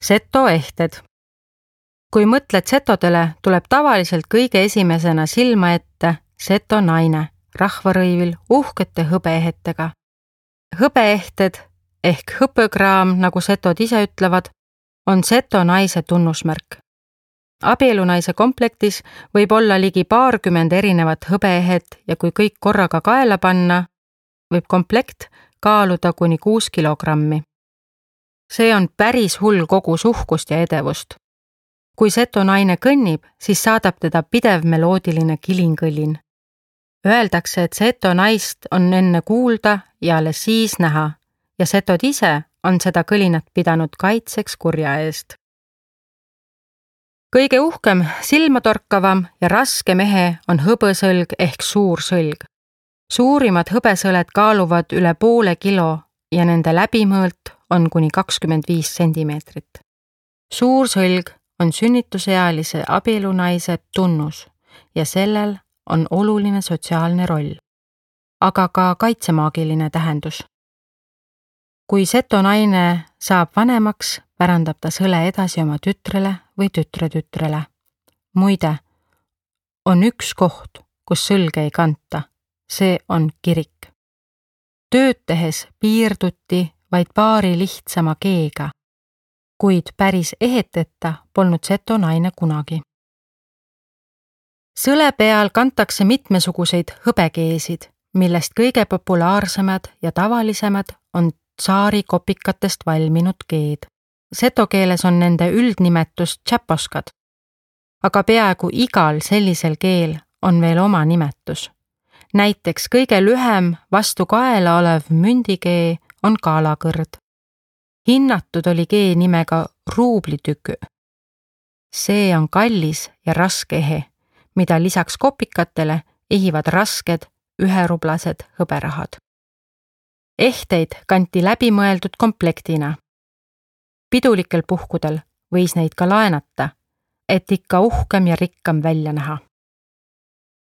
Setoehted. Kui mõtled setodele, tuleb tavaliselt kõige esimesena silma ette seto naine rahvarõivil uhkete hõbeehetega. Hõbeehted ehk hõpõkraam, nagu setod ise ütlevad, on seto naise tunnusmärk. Abielunaise komplektis võib olla ligi 20 erinevat hõbeehet ja kui kõik korraga kaela panna, võib komplekt kaaluda kuni 6 kilogrammi. See on päris hull kogus uhkust ja edevust. Kui seto naine kõnnib, siis saadab teda pidev meloodiline kilingõllin. Öeldakse, et seto naist on enne kuulda ja alles siis näha ja setod ise on seda kõlinat pidanud kaitseks kurja eest. Kõige uhkem, silmatorkavam ja raske mehe on hõbesõlg ehk suur sõlg. Suurimad hõbesõled kaaluvad üle poole kilo ja nende läbimõõt on kuni 25 sentimeetrit. Suur sõlg on sünnitusealise abielunaise tunnus ja sellel on oluline sotsiaalne roll, aga ka kaitsemaagiline tähendus. Kui seto naine saab vanemaks, pärandab ta sõle edasi oma tütrele või tütre-tütrele. Muide, on üks koht, kus sõlge ei kanta. See on kirik. Tööd tehes piirduti vaid paari lihtsama keega, kuid päris eheteta polnud seto naine kunagi. Sõle peal kantakse mitmesuguseid hõbekeesid, millest kõige populaarsemad ja tavalisemad on tsaari kopikatest valminud keed. Seto keeles on nende üldnimetus tšäposkad, aga peaaegu igal sellisel keel on veel oma nimetus. Näiteks kõige lühem vastu kaela olev mündikee on kaalakõrd. Hinnatud oli kee nimega ruublitükü. See on kallis ja raske ehe, mida lisaks kopikatele ehivad rasked üherublased hõberahad. Ehteid kanti läbimõeldud komplektina. Pidulikel puhkudel võis neid ka laenata, et ikka uhkem ja rikkam välja näha.